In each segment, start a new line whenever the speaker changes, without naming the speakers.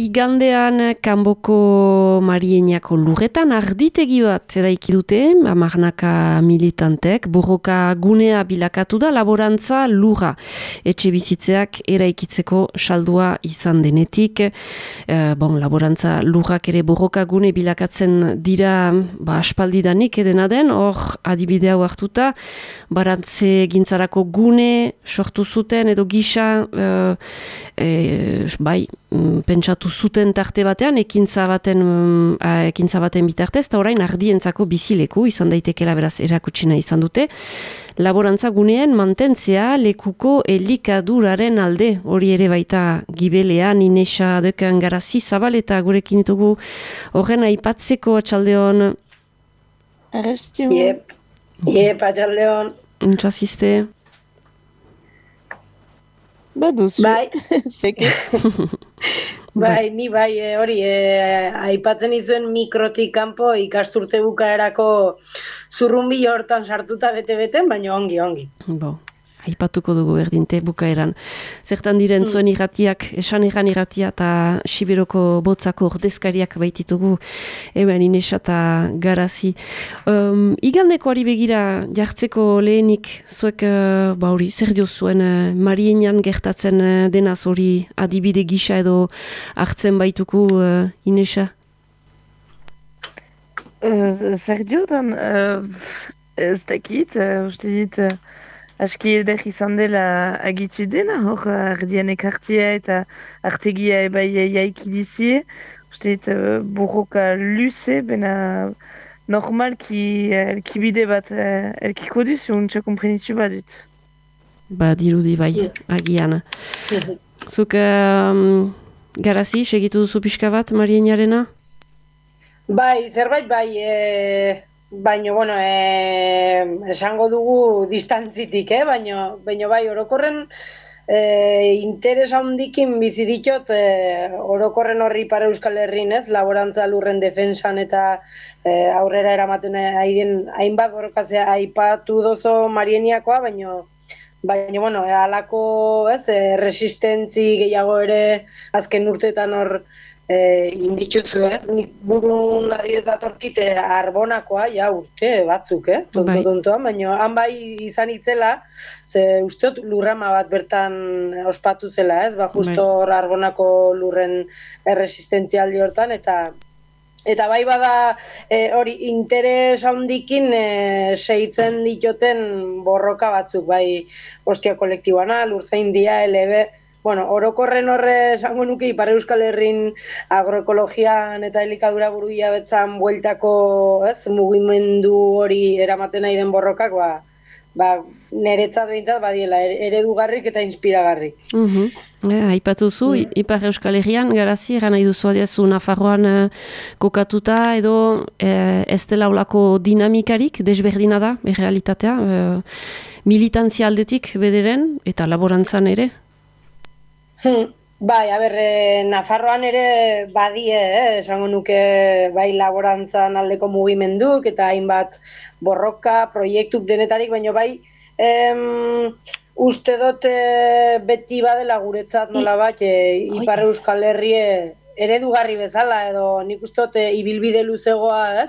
Igandean Kanboko Marieniako lurretan arditegi bat eraiki dute, hamarnaka militantek, borroka gunea bilakatu da laborantza lurra. Etxe bizitzeak eraikitzeko saldua izan denetik. Laborantza lurrak ere borroka gune bilakatzen dira aspaldidanik edena den, hor adibidea hartuta, barantze gintzarako gune sortu zuten edo gisa pentsatu zuten tarte batean, ekintza baten bitartez, eta orain ardientzako bizileku izan daitekela beraz erakutsina izan dute. Laborantza guneen mantentzea lekuko elikaduraren alde, hori ere baita gibelean, Inesa Deukan Garazi Zabal eta gurekin ditugu horren aipatzeko atxaldeon.
Arrestio.
Iep, atxaldeon.
Untxazizte.
Baduzu.
Bai.
Zeke.
Ni hori, aipatzen izuen mikrotik kanpo ikasturte bukaerako zurrumbi hortan sartuta bete-beten, baina ongi.
Aipatuko dugu berdinte bukaeran. Zertan diren zuen irratiak, esan irratia eta Siberoko botzako ordezkariak baititugu, hemen Inesa eta Garazi. Igandeko ari begira jartzeko lehenik, zuek zer dio zuen Marienian gertatzen denaz hori adibide gisa edo hartzen baituku Inesa?
Zer diotan, ez dakit, uste dit, aski eder izan dela agitu dena, hor ardian ekartia eta artegia ebai jaiki dizie. Uste dit, borroka luze, bena normalki elkibide bat elkiko duzu, untsa komprenitu badut.
Dirudi bai, agian. Zuk Garazi, segitu duzu pixka bat Marieniarena?
Zerbait baina, esango dugu distantzitik, baina bai, orokorren interes handikin bizi ditot orokorren horri Ipar Euskal Herrin, laborantza lurren defensan eta aurrera eramaten hainbat borrokazea aipatu dozo Marieniakoa, baina, halako resistentzi gehiago ere azken urteetan hor inditutzu, nik burun adibidez datorkite Arbonakoa, urte batzuk, tontoan, baina han bai izan itzela, ze usteot lurrama bat bertan ospatu zela, justo hor Arbonako lurren erresistentzialdi hortan, eta bai bada hori interes handikin segitzen ditoten borroka batzuk, bai Ostia kolektiboana, Lurzaindia, LB, orokorren horre esango nuke Ipar Euskal Herrin agroekologian eta elikadura buruia betzan bueltako mugimendu hori eramaten nahi den borrokak, niretzat behintzat badiela eredugarrik eta inspiragarrik.
Aipatuzu, Ipar Euskal Herrian, Garazi, eran nahi duzu adiazu Nafarroan kokatuta edo ez dela olako dinamikarik, desberdina da, errealitatea, militantzia aldetik bederen eta laborantzan ere?
Nafarroan ere badie, esango nuke bai laborantzan aldeko mugimenduk eta hainbat borroka, proiektuk denetarik, baina bai uste dut beti badela guretzat nola bat Ipar Euskal Herrie eredugarri bezala edo nik uste dut ibilbide luzegoa,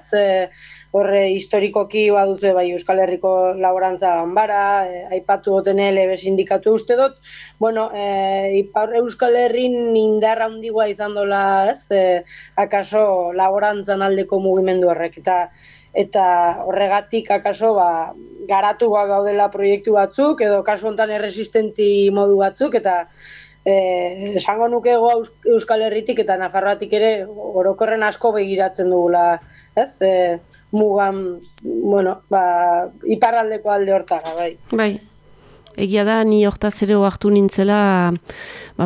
horre historikoki baduzu bai Euskal Herriko laborantza ganbara, aipatu goten LB sindikatu uste dut, Ipar Euskal Herrin indarra handigoa izan dola, akaso laborantzan aldeko mugimendu horrek, eta horregatik akaso garatuak gaudela proiektu batzuk, edo kasu honetan erresistentzi modu batzuk, eta esango nuke Euskal Herritik eta Nafarroatik ere orokorren asko begiratzen dugula, mugan, iparraldeko alde hortara, bai.
Bai, egia da, ni hortaz ere oartu nintzela,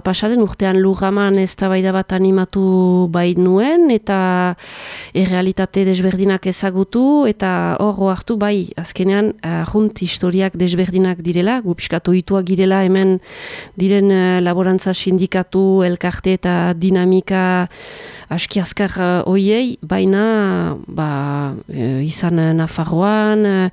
pasaren urtean Lurraman eztabaida bat animatu bait nuen, eta errealitate desberdinak ezagutu, eta hor oartu bai, azkenean, junt historiak desberdinak direla, gupiskatu ituak girela hemen diren laborantza sindikatu, elkarte eta dinamika aski azkar hoiei, baina izan Nafarroan,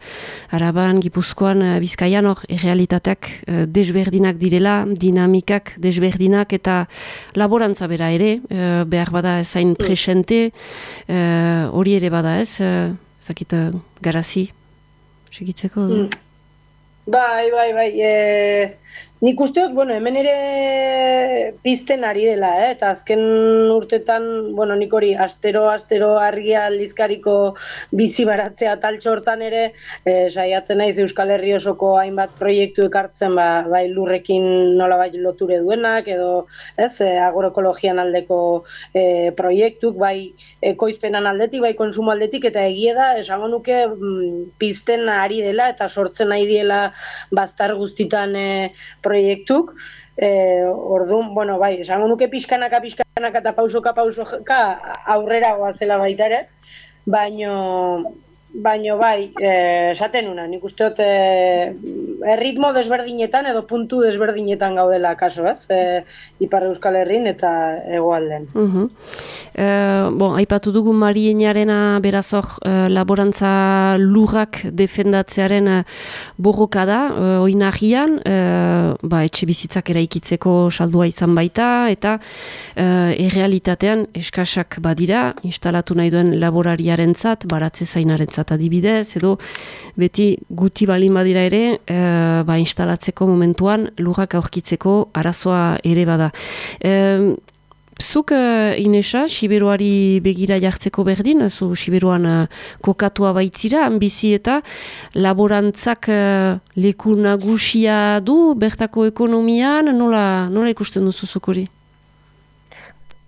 Araban, Gipuzkoan, Bizkaian, hor, errealitate errealitateak desberdinak direla, dinamikak desberdinak eta laborantza bera ere, behar bada ezain presente, hori ere bada ez, zakit garazi, segitzeko?
Bai. Nik usteot, hemen ere pizten ari dela, eta azken urtetan, nik hori astero argia aldizkariko bizi baratzea taltxo hortan ere, saiatzen naiz Euskal Herri osoko hainbat proiektu ekartzen, bai lurrekin nolabait loture duenak, edo agroekologian aldeko proiektuk, bai ekoizpenan aldetik, bai konsumo aldetik, eta egia da, esango nuke pizten ari dela, eta sortzen nahi diela baztar guztitan proiektuk, orduan, bai, esango nuke pixkanaka eta pausoka aurrera goazela baita ere, baino bai, esaten una, nik usteot erritmo desberdinetan edo puntu desberdinetan gaudela kaso, ez? Ipar Euskal Herrin eta hegoalden.
Aipatu dugu Marienarena berazok laborantza lurrak defendatzearen borroka da, oinagian, etxe bizitzak eraikitzeko saldua izan baita, eta errealitatean eskasak badira, instalatu nahi duen laborariarentzat, baratze zainarentzat adibidez, edo beti guti balin badira ere, instalatzeko momentuan lurrak aurkitzeko arazoa ere bada. Zuk, Inesa, Siberuari begira jartzeko berdin, zu Siberuan kokatua baitzira, bizi eta laborantzak leku nagusia du, bertako ekonomian, nola ikusten duzu zuk hori?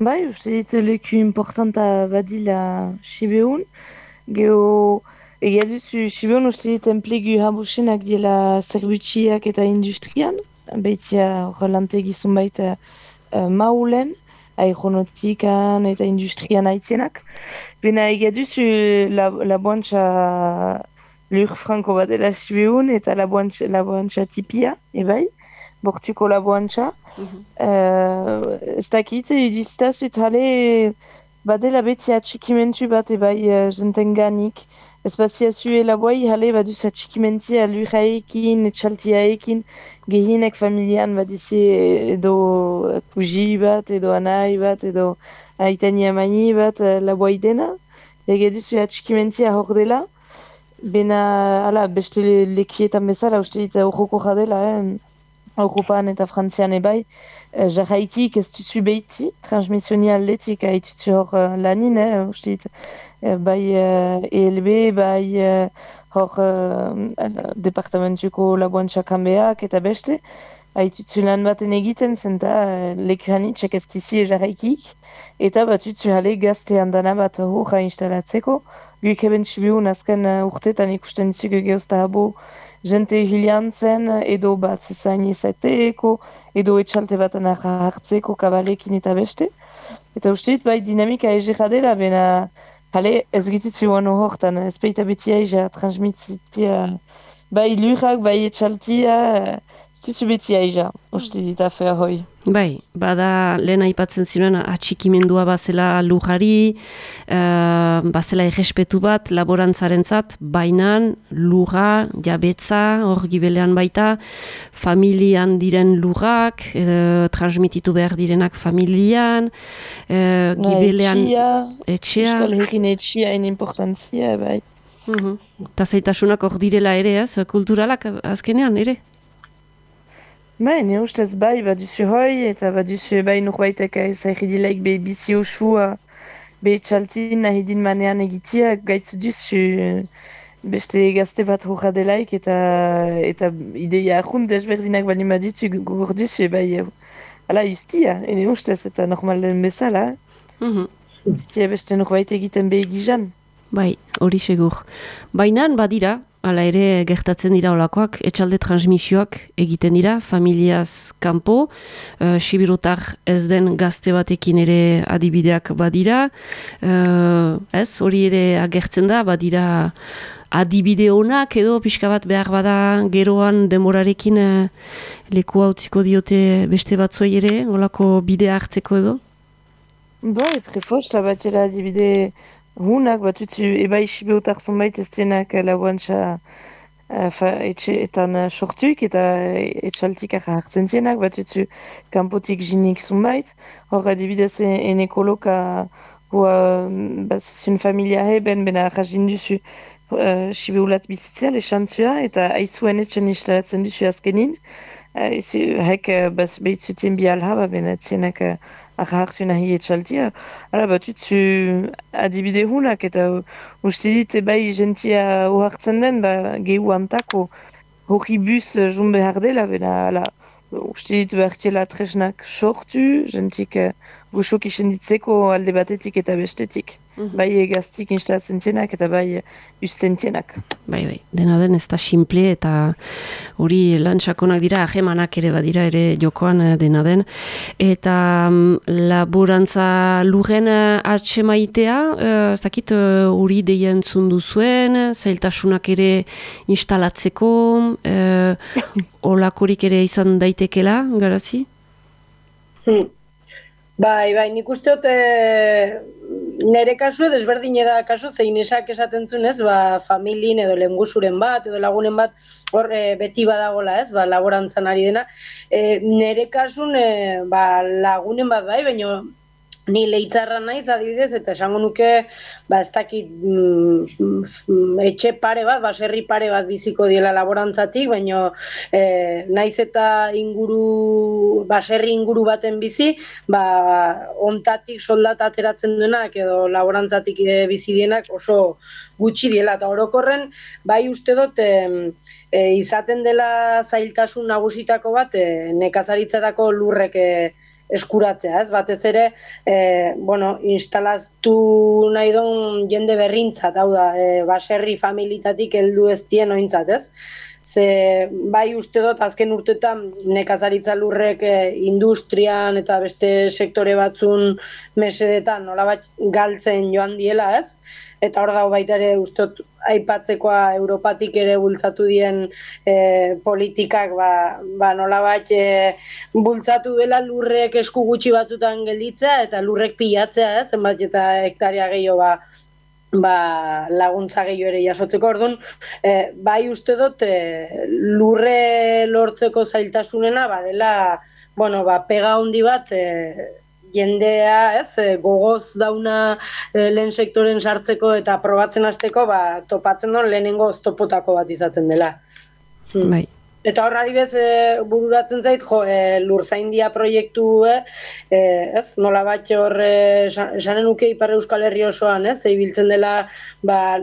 Bai, uste dit leku importanta badila Siberun, egia duzu Siberun uste dit enplegu habusenak diela zerbutxiak eta industrian, baitzia horrelantegi baita maulen, aeronautikan eta industrian aitzenak. Bena egia duzu laboantza lur franko bat dela Siberun eta laboantza tipia, ebai, bortuko laboantza. Ez dakit, idiztazu eta badela beti atxikimentu bat ebai jentenganik. Ez baziazu elaboai jale baduz atxikimentia lurraekin, etxaltiaekin, gehienek familian badizi edo kuji bat, edo anai bat, edo aitani amani bat laboai dena. Ege duzu atxikimentia hor dela. Bena, beste lekietan bezala, uste dit horroko jadela, Europan eta Frantzian ebai, jarraikik ez duzu behiti, transmisionia aldetik haitutu hor lanin, uste dit, bai ELB, bai hor departamentuko laboantza kanbeak eta beste, haitutu lan baten egiten zenta lekuhanitxek ez dizi jarraikik, eta batutu jale gazte handana bat horra instalatzeko, guik eben Siberun azken urtetan ikusten dizugu geuzta habo, jente hiliantzen, edo bat zezain izateeko, edo etxalte baten hartzeko kabalekin eta beste. Eta uste bai dinamika egera dela, bena ez gitzitu guano hortan, ez baita beti aiza transmititia, bai lurrak, bai etxaltia, ez duzu beti aiza, uste dit afea hoi.
Bai, bada lehen aipatzen ziren atxikimendua bazela lujari, bazela errespetu bat laborantzarentzat, bainan, lurra, jabetza, hor gibelean baita, familian diren lurrak, transmititu behar direnak familian, gibelean etxea.
Euskal Herrin etxea en importantzia, bai.
Eta zaitasunak hor direla ere, kulturalak azkenean ere?
Bai, ne ustez bai, baduzu hoi, eta baduzu bai norbaitek zahiridilaik be bizi osua, be txaltin nahidin manean egitia, gaitz duzu beste gazte bat horra delaik, eta ideia ahun desberdinak bali madutu gor duzu, bai, justia, ene ustez, eta normal den bezala, justia beste norbait egiten be egizan.
Bai, hori segur. Bainan badira, hala ere gertatzen dira olakoak, etxalde transmisioak egiten dira, familiaz kanpo, Sibirutar ez den gazte batekin ere adibideak badira, hori ere agertzen da, badira adibide honak edo pixka bat behar bada geroan demorarekin leku hautziko diote beste batzoi ere, olako bidea hartzeko edo?
Bai, prefosta batera adibide hunak, batutzu ebai Sibirutar zonbait ez denak laboantza etxeetan sortuik eta etxaltikak hartzen zienak, bat utzu kanpotik jinik zunbait. Hor adibidez ekoloka zun familia heben bena arrazin duzu sibeulat bizitzea lesantzua eta aizuen etxen instalatzen duzu azkenin. Hek behitzuten bi alha, bena zienak hartu nahi etxaltia. Hala bat utzu adibide hunak eta uste dit bai jentia ohartzen den gehu antako hori bus jun behar dela, bena uste dit behartiela tresnak sortu, jentik gusok isen ditzeko alde batetik eta bestetik. Bai egaztik instalatzen zienak eta bai usten zienak.
Bai, dena den ez da simple eta hori lantsakonak dira, ahemanak ere badira ere jokoan dena den. Eta laborantza lurren atxemaitea, ez dakit hori deia entzundu zuen, zailtasunak ere instalatzeko, olakorik ere izan daitekela, garazi?
Bai, nik uste dut nire kasu desberdin da kasu, zein esak esaten zunez, familien edo lengusuren bat, edo lagunen bat, hor beti badagola ez, laborantzan ari dena. Nire kasun lagunen bat bai, baina ni leitzarra naiz adibidez, eta esango nuke, ez dakit etxe pare bat, baserri pare bat biziko diela laborantzatik, baina naiz eta baserri inguru baten bizi, ontatik soldata ateratzen duenak edo laborantzatik bizi dienak oso gutxi diela, eta orokorren bai uste dut izaten dela zailtasun nagusitako bat nekazaritzarako lurrek eskuratzea, ez? Batez ere, instalatu nahi duen jende berrintzat, hau da, baserri familitatik heldu ez dien ointzat, ez? Ze bai uste dut azken urtetan nekazaritza lurrek industrian eta beste sektore batzun mesedetan nolabait galtzen joan diela, ez? Eta hor dago baita ere ustot aipatzekoa Europatik ere bultzatu dien politikak nolabait bultzatu dela lurrek esku gutxi batzutan gelditzea eta lurrek pilatzea, zenbat eta hektaria gehiago laguntza gehiago ere jasotzeko. Orduan, bai uste dut lurre lortzeko zailtasunena dela pega handi bat jendea, gogoz dauna lehen sektoren sartzeko eta probatzen hasteko, topatzen duen lehenengo oztopotako bat izaten dela.
Bai.
Eta horra adibez bururatzen zait, lurzaindia proiektu, nola bat hor, esanen nuke Ipar Euskal Herri osoan, ibiltzen dela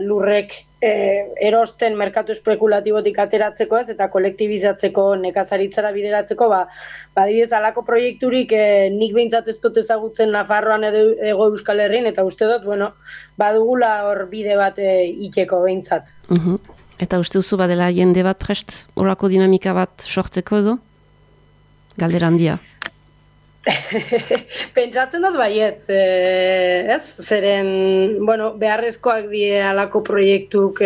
lurrek erosten merkatu espekulatibotik ateratzeko eta kolektibizatzeko, nekazaritzara bideratzeko, adibidez alako proiekturik nik behintzat ez dut ezagutzen Nafarroan edo Hego Euskal Herrin, eta uste dut, badugula hor bide bat iteko behintzat.
Eta uste duzu badela jende bat prest, horako dinamika bat sortzeko edo? Galdera handia.
Pentsatzen dut baietz, zeren, beharrezkoak die alako proiektuk,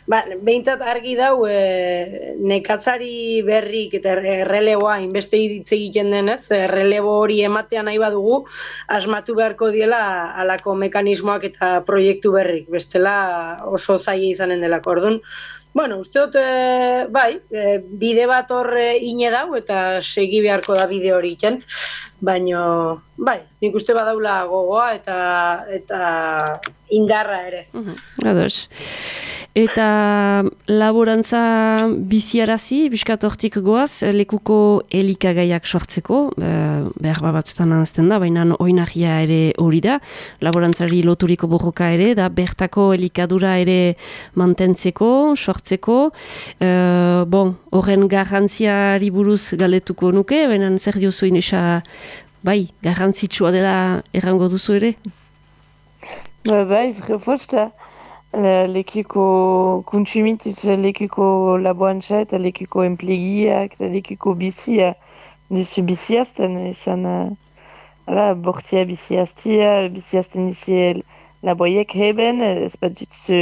behintzat argi dau nekazari berrik eta erreleboa inbeste hitz egiten denez, errelebo hori ematea nahi badugu, asmatu beharko diela alako mekanismoak eta proiektu berrik, bestela oso zaila izanen delako. Orduan, uste dut, bide bat hor ine dau eta segi beharko da bide hori iken, baina, nik uste badaula gogoa eta indarra ere.
Ados. Eta laborantza biziarazi, biskat hortik goaz, lekuko elikagaiak sortzeko, behar batzutan anazten da, baina oinahia ere hori da, laborantzari loturiko borroka ere, da bertako elikadura ere mantentzeko, sortzeko, horren garrantziari buruz galdetuko nuke, baina zer diozu inesa, garrantzitsua dela errango duzu ere?
Frefosta. Lekuko kontsumituz, lekuko laborantza eta lekuko enplegiak eta lekuko bizia dizu biziazten izan bortzia biziazten dizi laboiek heben, ez bat dutzu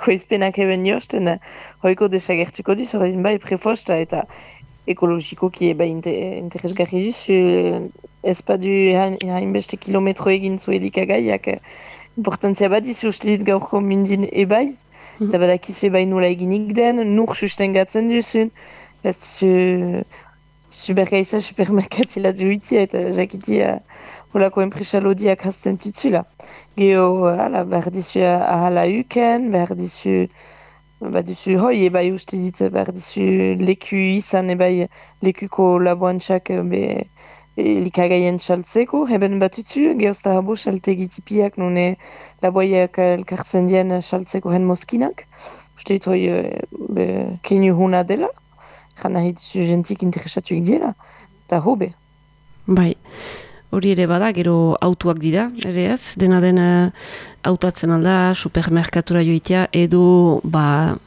koizpenak heben josten, hoiko desagertuko dizu, prefosta eta ekologikoki interesgarri duzu, ez bat du hainbeste kilometro egin zu elikagaiak, importantzia bat dizu uste dit gaurko mindin ebai, Eta badakizu bai nola eginik den, nur sustengatzen duzun, ez supergaiza supermerkatila duitia eta jakitia holako enpresa lodiak hasten tutzula. Geo, behar dizu ahala uken, behar dizu baduzu hoi, ebai uste dit, behar dizu leku izan, ebai lekuko laboantxak likagaien txaltzeko, heben batutzu, geozta habo txaltegitipiak nune laboiak elkartzen dien txaltzeko hen moskinak. Uste dit hoi keinu huna dela, jana hitzu jentik interesatuik diela, eta hobe.
Bai. Hori ere bada, gero autuak dira, ere ez? Dena hautatzen alda, supermerkatura joitea, edo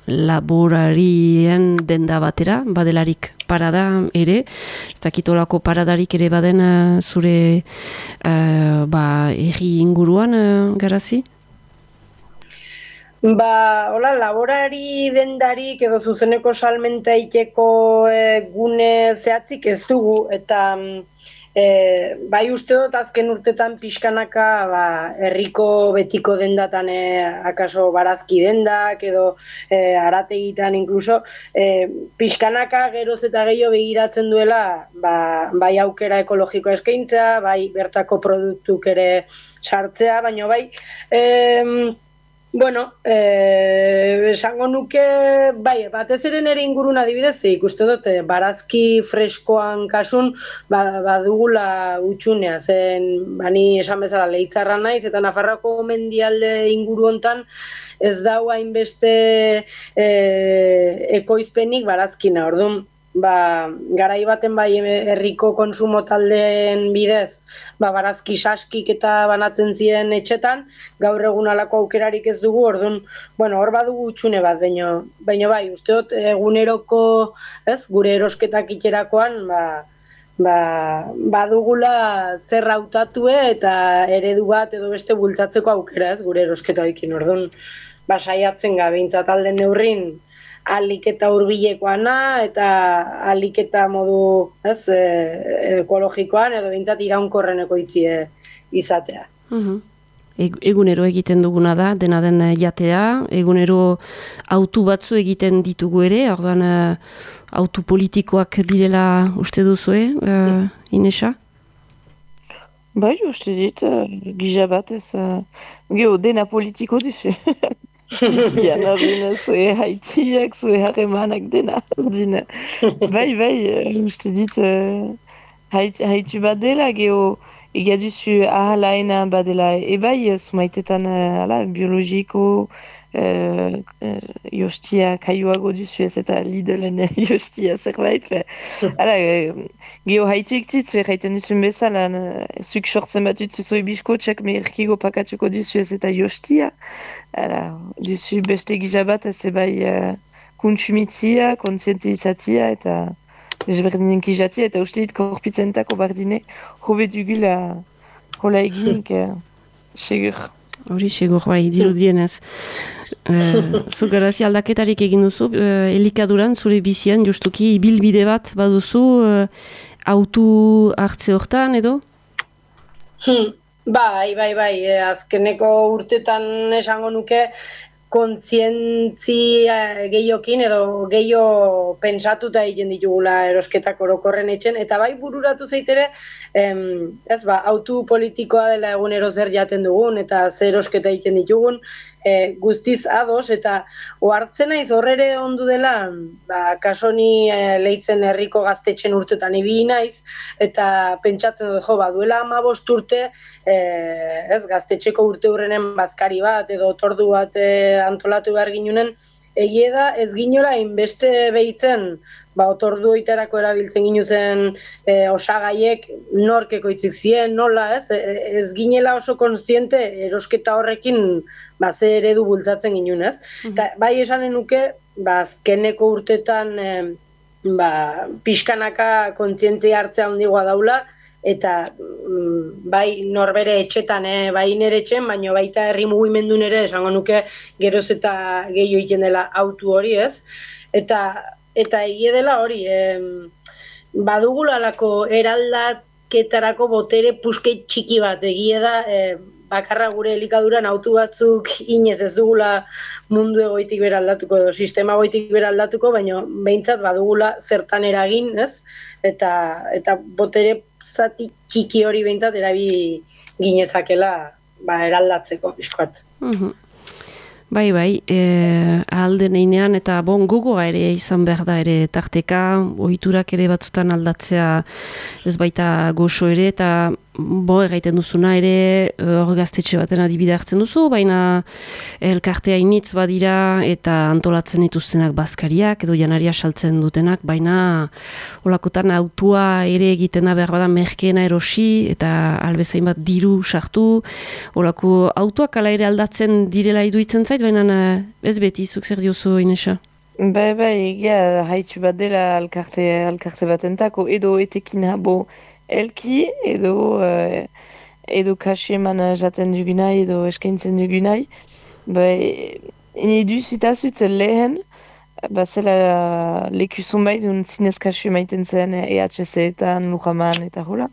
laborarien denda batera, badelarik parada ere, ez dakitolako paradarik ere baden zure erri inguruan, Garazi?
Hola, laborari dendarik edo zuzeneko salmenta iteko gune zehatzik ez dugu, eta bai uste dut azken urtetan pixkanaka herriko betiko dendatan akaso barazki dendak edo arategitan inkluso pixkanaka geroz eta gehiago begiratzen duela bai aukera ekologikoa eskaintza, bai bertako produktuk ere sartzea, baina bai esango nuke, bai, batez ere nire ingurun adibidez, ikuste dut, barazki freskoan kasun, badugula utxunea, zen, bani esan bezala Leitzarra naiz, eta Nafarroako mendialde inguru hontan ez dau hainbeste ekoizpenik barazkina, orduan, garai baten bai herriko konsumo taldeen bidez barazki saskik eta banatzen ziren etxetan, gaur egun alako aukerarik ez dugu, orduan, hor badugu utxune bat, baina bai, uste dut eguneroko, gure erosketak itxerakoan, badugula zer hautatue eta eredu bat edo beste bultzatzeko aukera, gure erosketa ekin, orduan, saiatzen gabeintzat alden neurrin, alik eta hurbilekoana eta alik eta modu ekologikoan edo bintzat iraunkorreneko itzie izatea.
Egunero egiten duguna da, dena den jatea, egunero autu batzu egiten ditugu ere, orduan autu politikoak direla uste duzue, Inesa?
Bai, uste dit, gisa batez, dena politiko duzu. Zian horren zue haitziak, zue harremanak dena. Bai, uste dit haitzu bat dela, ega duzu ahalaena badela, ebai sumaitetan biologiko jostia kaioago duzu ez eta Lidlen jostia zerbait. Haitzuik titzu erraiten duzun bezala, zuk sortzen bat zuzue biskotxak merkigo pakatuko duzu ez eta jostia. Duzu beste gizabat ez ebai kontsumitzia, kontzientizatzia eta ezberdinen kizatzia eta uste dit korpitzentako bardine hobe dugula hola eginik segur.
Hori segur bai, dirudienez. Zu Garazi aldaketarik egin duzu, elikaduran zure bizian justuki ibilbide bat baduzu autu hartze hortan edo?
Bai, azkeneko urtetan esango nuke kontzientzia gehiokin edo gehio pentsatuta egiten ditugula erosketak orokorren etxen, eta bai bururatu zeitere, autu politikoa dela egunero zer jaten dugun eta zer erosketa egiten ditugun, guztiz ados, eta ohartzen naiz horrere ondu dela, kasoni Leitzen herriko gaztetxen urtetan ibili naiz, eta pentsatzen dut, duela 15 urte, gaztetxeko urte hurrenen bazkari bat, edo otordu bat antolatu behar ginunen, egie da ez ginola inbeste behitzen, otordu oiterako erabiltzen ginuzen osagaiek nork ekoitzik ziren, nola, ez ginela oso kontziente erosketa horrekin ze eredu bultzatzen ginun, Eta bai esanen nuke, azkeneko urtetan pixkanaka kontzientzia hartzea handigoa daula, eta bai norbere etxetan, bai nire etxen, baina baita herri mugimendun ere esango nuke geroz eta gehiago egiten dela autu hori, Eta egie dela hori, badugulalako eraldaketarako botere pusket txiki bat, egie da, bakarra gure elikaduran autu batzuk inez ez dugula mundu egoitik bera aldatuko edo sistema egoitik bera aldatuko, baina behintzat badugula zertan eragin, ez? Eta botere zati txiki hori behintzat erabi ginezakela eraldatzeko pixkoat.
Bai, ahalden einean, eta gogoa ere izan behar da ere tarteka, ohiturak ere batzutan aldatzea ez baita goxo ere, eta erraiten duzuna ere hor gaztetxe baten adibide hartzen duzu, baina elkartea initz badira eta antolatzen dituztenak bazkariak edo janaria saltzen dutenak, baina olakotan autua ere egitena behar bada merkeena erosi eta albezain bat diru sartu, olako autuak ala ere aldatzen direla iduitzen zait, baina ez beti, zuk zer diozu, Inesa?
Bai, egia haitxu bat dela alkarte batentako, edo etekin habo elki, edo kasu eman jaten dugunai, edo eskaintzen dugunai. Ene duzitazut lehen, zela leku zonbait, zinez kasu emaiten zen EHC-etan, Lujaman, eta hola.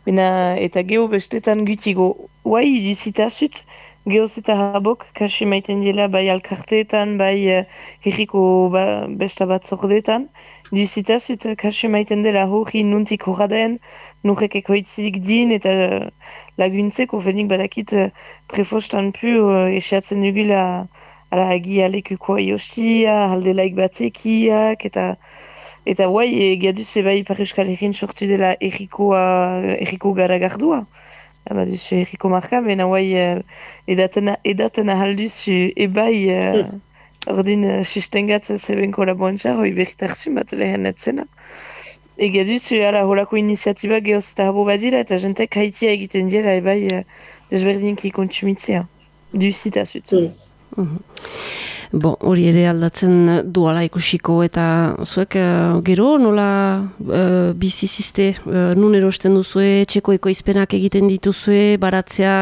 Eta geho bestetan gutigo, guai duzitazut, gehoz eta habok kasu emaiten dela bai alkarteetan, bai herriko besta bat zordetan. Duzitazut kasu emaiten dela hori nuntik horraden, nurek ekoitzik din eta laguntzeko fenik badakit prefostan pu esiatzen dugula ala agia lekukoa jostia, aldelaik batekiak eta guai egiaduz bai Ipar Euskal Herrin sortu dela erriko garagardua. Duzu erriko marka, bena guai edaten ahalduzu ebai ordin sustengat zeben kolaboantza, hoi berritarzu bat lehen etzena. Ega duzu, holako iniziatiba gehoz eta habo badira, eta jentek haitia egiten dira, ebai desberdinki kontsumitzea. Duzita zutu.
Hori ere aldatzen duala ikusiko, eta zuek gero nola bizizizte, nun erosten duzue, txeko ekoizpenak egiten dituzue, baratzea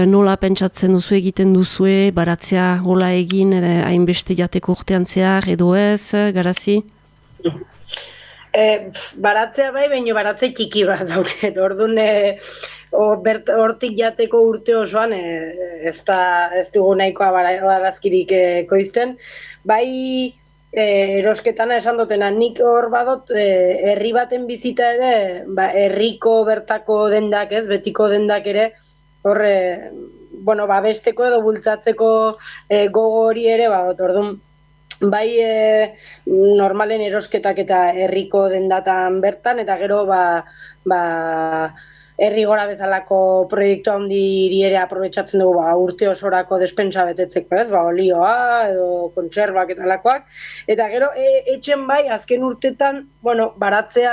nola pentsatzen duzu egiten duzue, baratzea hola egin, hainbeste jateko urtean zehar, edo ez, Garazi?
Baratzea bai, baina baratze txiki bat dauket, orduan hortik jateko urte osoan ez dugu nahikoa barazkirik ekoizten. Bai, erosketana esan dutena, nik hor badot herri baten bizita ere, herriko bertako dendak ez, betiko dendak ere, hor, babesteko edo bultzatzeko gogo hori ere, orduan, bai normalen erosketak eta herriko dendatan bertan, eta gero herri gora bezalako proiektu handiri ere aprobetxatzen dugu urte osorako despensa betetzeko, ez? Olioa edo kontserbak eta lakoak. Eta gero etxen bai azken urtetan, baratzea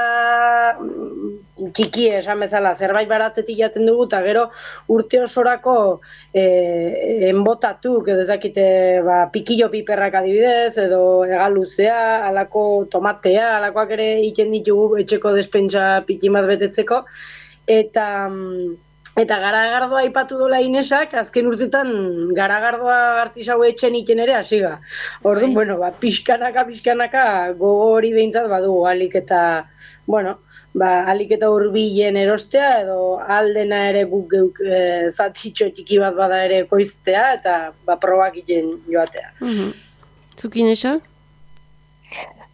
txiki esan bezala, zerbait baratzetik jaten dugu, eta gero urte osorako enbotatuk, edo ezakite pikillo piperrak adibidez, edo egaluzea, alako tomatea, alakoak ere egiten ditugu etxeko despensa pikin bat betetzeko. Eta garagardoa aipatu dola Inesak, azken urtetan garagardoa artisau etxen iten ere hasiga. Orduan, pixkanaka gogo hori behintzat badugu, alik eta hurbilen erostea, edo aldena ere guk geuk zatitxo txiki bat bada ere koiztea, eta probak iten joatea.
Zuk Inesak?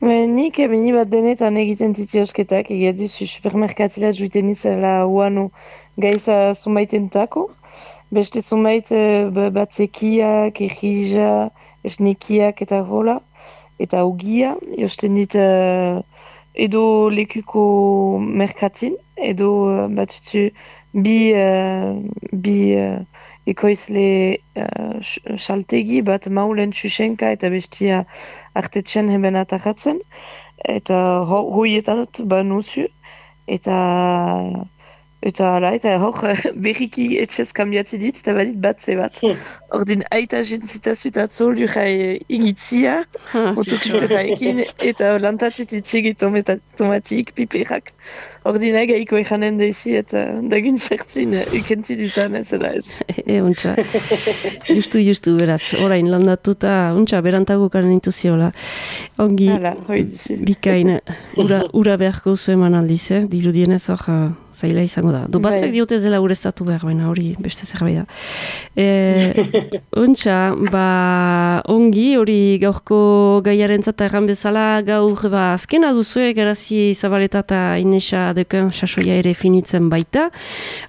Nik ebeni bat denetan egiten titiosketak, egia duzu supermerkatila juiten izela uano gaiza zumaitentako. Beste zumait batzekiak, errija, esnekiak eta hola, eta ugia, josten dit edo lekuko merkatin, edo batutzu bi ekoizle saltegi bat maulen txusenka eta bestia artetxen heben atakatzen. Eta hoietan nuzu. Eta hor berriki etxez kambiatzi dit eta badit batze bat. Ordin aita jentzitazut atzoldu jai igitzia, otokutu jaekin, eta lantatzit itzigi tomatik, piperak. Ordin agaiko ekanen daizi eta dagun sertzin ukentzi ditan ez da ez.
Untxa, justu, beraz, orain landatuta, berantago karen intuziola. Ongi, bikain, ura beharko zu eman aldiz, dirudienez hor zaila izango da. Do batzuk diote zela ureztatu behar, baina hori beste zerbait da. Ontsa, ongi, hori gaurko gaiaren zata erran bezala, gaur azkena duzue, Garazi Zabaleta eta Inesa Deken sasoia ere finitzen baita.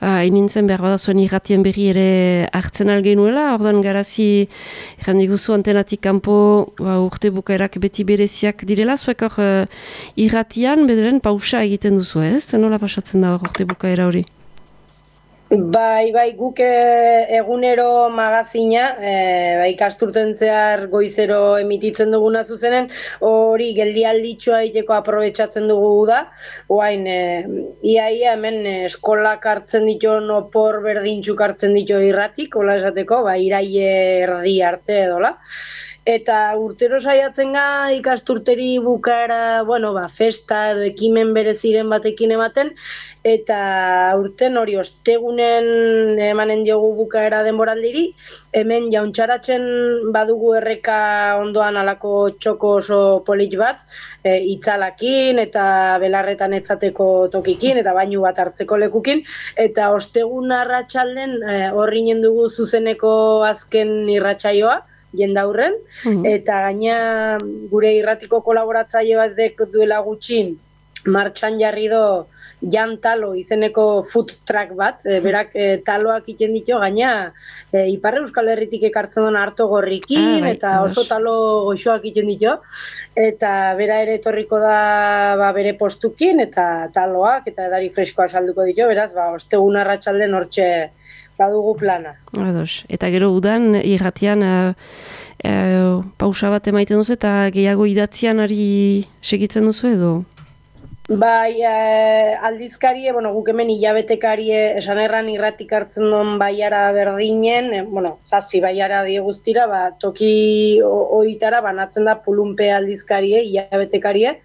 Inintzen behar badazuen irratien berri ere hartzen algenuela, ordan Garazi erran diguzu antenatik kanpo urte bukaerak beti bereziak direla, zuek hor irratian bederen pausa egiten duzu ez? Nola pasatzen da urte bukaera hori?
Bai, guk egunero magazina, ikasturten zehar goizero emititzen duguna zuzenen, hori geldialditxoa egiteko aprobetxatzen dugu da. Oain, iaia hemen eskolak hartzen ditu, opor berdintxuk hartzen ditu irratik, hola esateko, iraie erdi arte edola. Eta urtero saiatzen ga ikasturteri bukaera, festa edo ekimen bereziren batekin ematen, eta urten hori ostegunen emanen diogu bukaera denboraldiri, hemen jauntxaratzen badugu erreka ondoan alako txoko oso polit bat, itzalakin eta belarretan etzateko tokikin, eta bainu bat hartzeko lekukin, eta ostegun arratsalden horrinen dugu zuzeneko azken irratsaioa, jendaurren, eta gaina gure irratiko kolaboratzaile bat duela gutxin martxan jarri do Jan Talo izeneko food truck bat, berak taloak iten ditu, gaina Ipar Euskal Herritik ekartzen duen harto gorrikin, eta oso talo goxoak iten ditu, eta bera ere etorriko da bere postukin, eta taloak, eta edari freskoa salduko ditu, beraz, ostegun arratsalden hortxe badugu plana.
Ados. Eta gero udan irratian pausa bat emaiten duzu eta gehiago idatzian ari segitzen duzu edo?
Bai, aldizkarie, guk hemen hilabetekarie esan erran irratik hartzen duen baiara berdinen, 7 baiara die guztira, toki oitara banatzen da Pulunpe aldizkarie, hilabetekarie.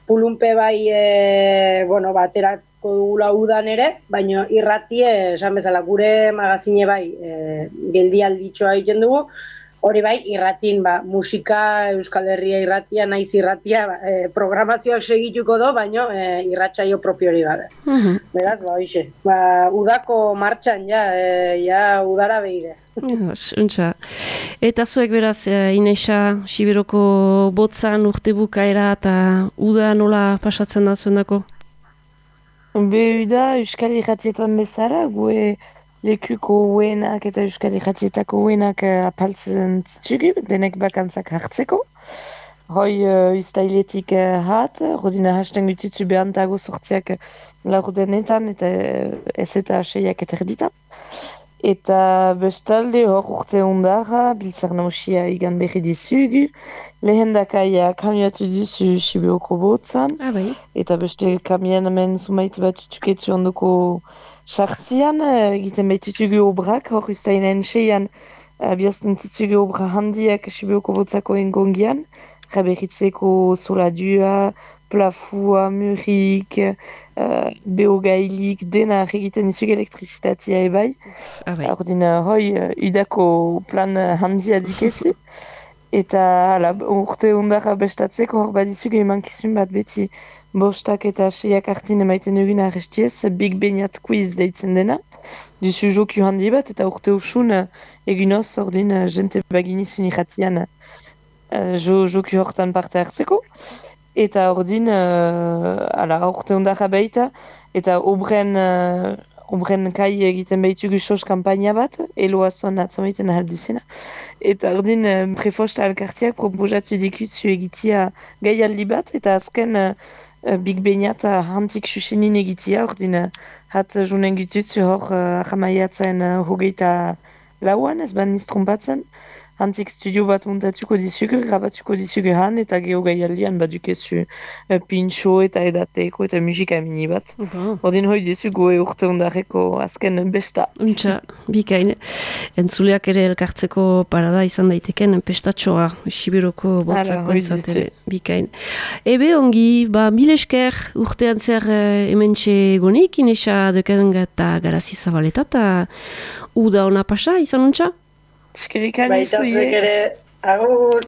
Pulunpe baterako dugula udan ere, baina irratie, esan bezala, gure magazine geldialditxoa egiten dugu, hori irratin, musika, Euskal Herria irratia, naiz irratia, programazioak segituko do, baina irratsaio propio hori babe. Beraz, hoxe. Udako martxan, udara behide.
Untxa. Eta zuek beraz, Inesa, Siberoko botzan urte bukaera eta uda nola pasatzen da zuen dako?
Uda Euskal Irratietan bezala, gue lekuko uenak eta Euskal Irratietako uenak apaltzen zitzugu, denek bakantzak hartzeko. Hoi ustailetik rodina hasten gututzu behantago sortziak laurdenetan eta ez eta 6ak eta erditan. Eta bestalde hor urte ondara, biltzar nausia igan berri dizugu, lehendakaia kamioatu duzu Siberoko botzan, eta beste kamien hemen zumaitz bat utuketzu ondoko sartzian, egiten behitutugu obrak, hor ustainen 6an biazten zitzugu obra handiak Siberoko botzako engongian, raberritzeko soladua, plafua, murik, beogailik, dena egiten izugu elektrizitatea ebai. Ordin, udako plan handia dikezu. Eta urte ondara bestatzeko hor badizugu emankizun bat beti bostak eta 6ak hartin emaiten dugun arrestiez, Big Beñat quiz deitzen dena. Duzu joku handi bat eta urte usun egunoz ordin jente baginizun irratian joku hortan parte hartzeko. Eta ordin, urte ondara baita, eta obren kai egiten behitugu sos kampaina bat, eloazoan atzamaiten ahalduzena. Eta ordin, prefosta alkartiak proposatu dikutzu egitia gaialdi bat, eta azken Big Beñat hantik susenin egitia, ordin, hat junen gututzu hor ahamaiatzen hogeita lauan, ez ban niztrompatzen, hantik studio bat montatuko dizugu, grabatuko dizugu han, eta geho gaialdian badukezu pintxo eta edateko eta musika mini bat. Ordin hoi dizugu urte ondareko azken besta.
Untxa, bikain. Entzuleak ere elkartzeko parada izan daiteken pestatxoa, Siberoko botzako entzatere. Bikain. Ebe ongi, mil esker urtean zer hementxe gonik, Inesa Deken eta Garazi Zabaleta, eta uda ona pasa izan untxa?
Eskerrik
ere, agur!